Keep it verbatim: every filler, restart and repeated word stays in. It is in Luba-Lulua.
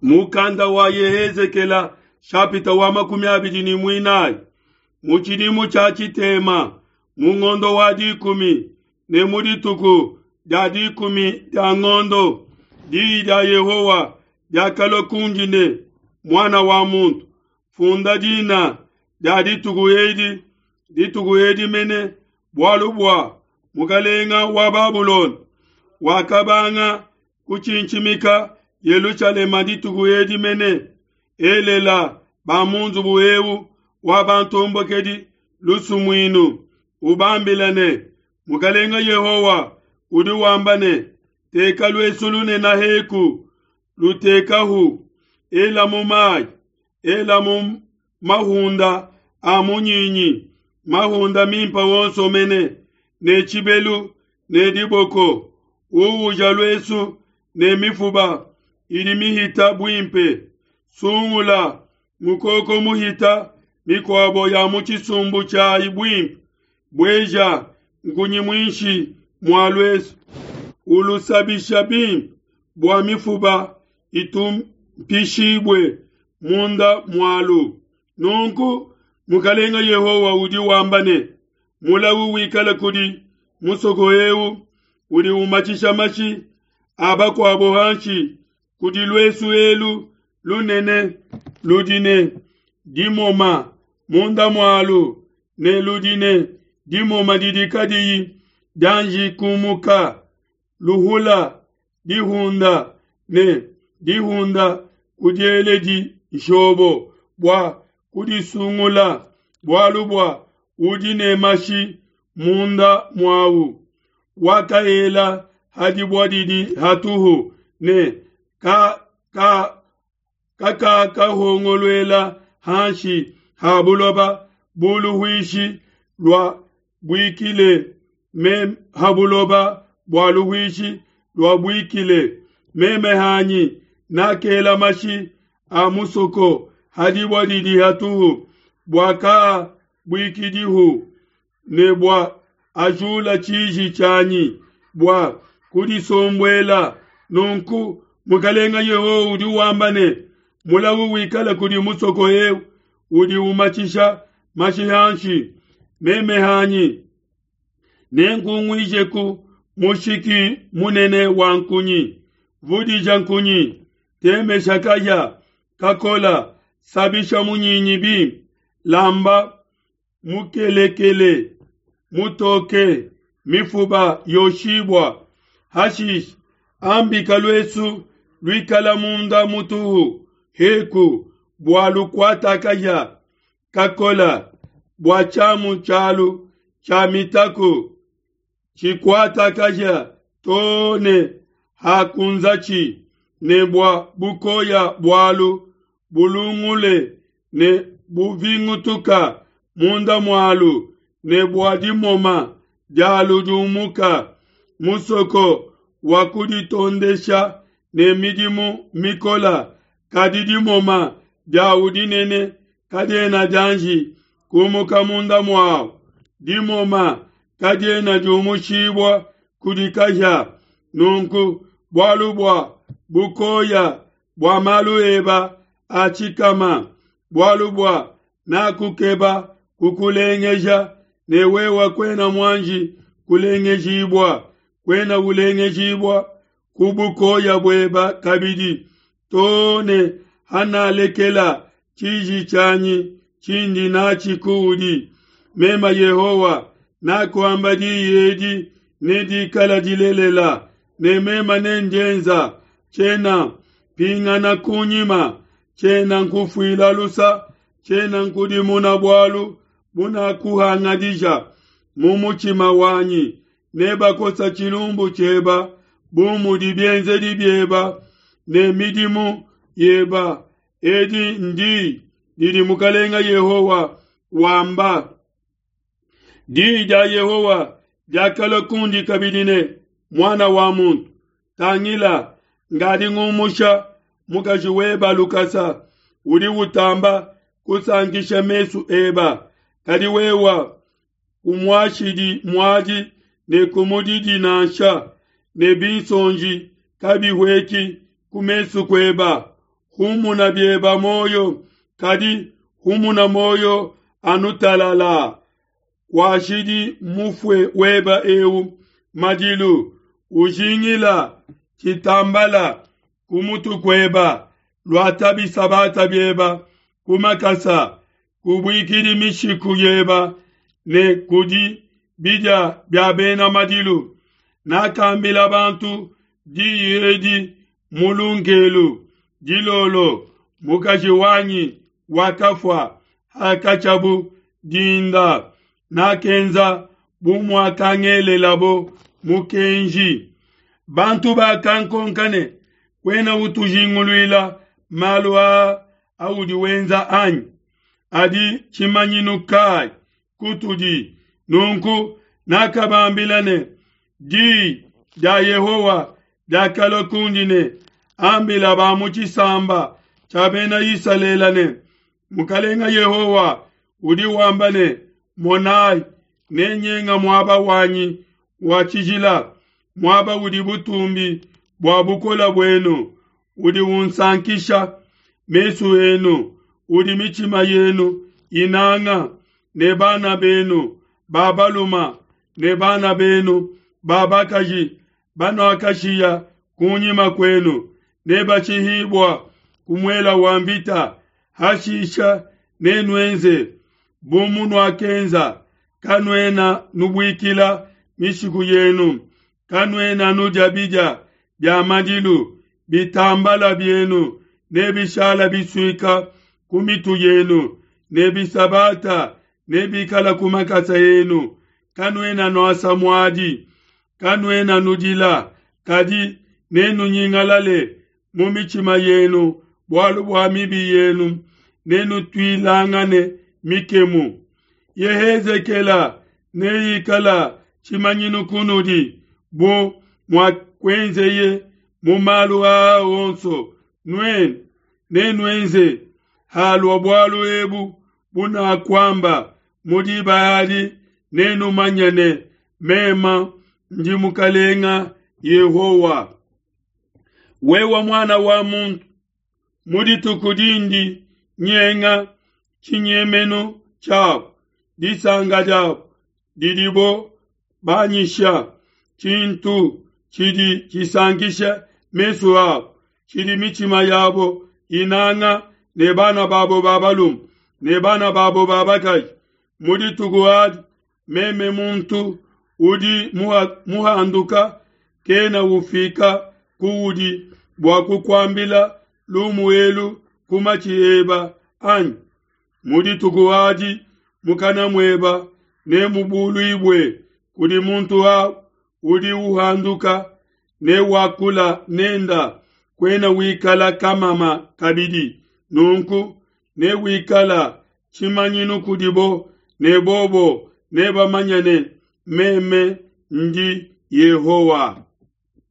Mukanda wa Yehezekela shapita wa makumi abidi ne muinayi. Mu tshidimu tshia tshitema, mu ngondo wa dikumi ne mu dituku dia dikumi dia ngondo, diyi dia Yehowa diakalua kundi ne, Muana wa muntu, funda dina dia dituku edi, dituku edi mene, bualu bua mukalenga wa Babulona wakabanga kutshintshimika Yelushalema dituku edi mene. Elela ba mu nzubu eu wa bantombokedi lusumuinu, ubambila ne, Mukalenga Yehowa udi wamba ne, teka luesu lunene heku, lutekahu, elamu mayi, elamu mahunda a munyinyi, mahunda mimpe wonso mene, ne tshibelu ne diboko, uuja luesu ne mifuba idi mihita buimpe. Sungula mukoko muhita mikuabo ya mu tshisumbu tshiayi buimpe, bueja nkunyi muinshi mua luesu, ulusabisha bimpe bua mifuba itumpishibue munda mualu. Nunku Mukalenga Yehowa udi wamba ne, mulawu wikale kudi musoko eu udi umatshisha mashi a bakuabo hanshi kudi luesu elu lunene ludi ne dimoma munda mualu ne ludi ne dimoma didi kadiyi dianji kumuka, luhula dihunda ne dihunda kudieledi nshobo bua kudisungula, bualu bua udi ne mashi munda muawu. Wakaela ha dibua didi hatuhu ne ka ka kakakahongoluela hanshi ha buloba bu luhuishi lua buikile meme ha buloba bua luhuishi lua buikile. Meme hanyi nakela mashi a musoko ha dibua didi hatuhu bua ka buikidihu ne bua ajula tshiji tshianyi bua kudisombuela. Nunku Mukalenga Yehowa udi wamba ne, mulawu wikale kudi musoko eu udi umatshisha mashi hanshi. Meme hanyi nenkunguijeku mushiki munene wa nkunyi, vudija nkunyi, temesha kahia kakola, sabisha munyinyi bimpe, lamba mukelekele mutoke, mifuba yoshibua. Hashishe ambika luesu luikala munda mutuhu heku bua lukuata kahia kakola, bua tshiamu tshialu tshia mitaku tshikuata kahia too ne hakunzatshi, ne bua bukoya bualu bulungule ne buvingutuka munda mualu, ne bua dimoma dialu diumuka. Musoko wa kuditondesha ne midimu mikola, kadi dimoma diawu dinene kadiena dianji kumuka munda muawu. Dimoma kadiena diumushibua kudi kahia. Nunku bualu bua bukoya bua malu eba a tshikama, bualu bua nakukeba kukulengeja, ne wewe kuena muanji kulengejibua, kuena ulengejibua ku bukoya bueba kabidi, too ne hanalekela tshiji tshianyi tshindi natshi kuudi. Meme Yehowa nakuamba diyi edi ne dikala dilelela, ne meme nendienza. Tshiena pingana kunyima, tshiena nkufuila lusa, tshiena nkudimuna bualu bunakuhangadija mu mutshima wanyi. Nebakosa tshilumbu tshieba bu mudi bienzedi bieba ne midimu yeba. Edi ndi didi Mukalenga Yehowa wamba. Diyi dia Yehowa diakalua kundi kabidi ne, Muana wa muntu, tangila, ngadi ngumusha mukaji weba lukasa, udi utamba kusankisha mesu eba, kadi wewa kumuashidi muadi ne kumudidi nansha, ne binsonji kabihueki ku mesu kueba. Humuna bieba moyo, kadi humuna moyo anu talala. Washidi mufue weba eu madilu, ujingila tshitambala ku mutu kueba, luata bisabata bieba ku makasa, kubuikidi mishiku yeba ne kudi bidia bia bena madilu. Nakambila bantu diyi edi mu lunkelu dilolo, mukaji wanyi wakafua hakatshiabu dinda. Nakenza bu muakangelelabo mukenji. Bantu bakankonka ne, kuena utujinguluila malu aa audi wenza anyi? Adi tshimanyinu kai kutudi? Nunku nakabambila ne, Di dia Yehowa diakalua kundi ne, ambila ba mu tshisamba tshia bena Isalele ne, Mukalenga Yehowa udi wamba ne, Monai, nenyenga muaba wanyi wa tshijila, muaba udi butumbi bua bukole buenu, udi unsankisha mesu enu, udi mitshima yenu inanga, ne bana benu ba baluma ne bana benu ba bakaji banuakashiya kunyima kuenu nebashihibua ku muela wa mvita. Hashisha nenuenze bu munuakenza, kanuena nubuikila mishiku yenu, kanuena nudia bidia bia madilu, bitambala bienu nebishala bisuika ku mitu yenu, ne bisabata nebikala ku makasa enu. Kanuena nuasa muadi, kanuena nudila, kadi nenunyingalale mu mitshima yenu bualu bua mibi yenu, nenutuilangane mikemu. Yehezekela neikala tshimanyinu kunudi bu muakuenzeye mu malu aa onso, nuenu nenuenze halua bualu ebu bunakuamba mu diba adi, nenumanye ne, mema ndi Mukalenga Yehowa. Wewe muana wa muntu, mu dituku dindi nyenga tshinyemenu tshiabu, disanka diabu didibo banyisha, tshintu tshidi tshisankisha mesu abu, tshidi mitshima yabo inanga, ne bana babo ba balume ne bana babo ba bakaji. Mu dituku adi meme muntu udi muhanduka kena ufika kuudi bua kukuambila lumu elu ku matshi eba anyi? Mu dituku adi mukana mueba nemubuluibue kudi muntu au udi uhanduka, ne wakula nenda, kuena wikala kamama kabidi. Nunku newikala tshimanyinu kudibo, ne bobo nebamanye ne, meme ndi Yehowa.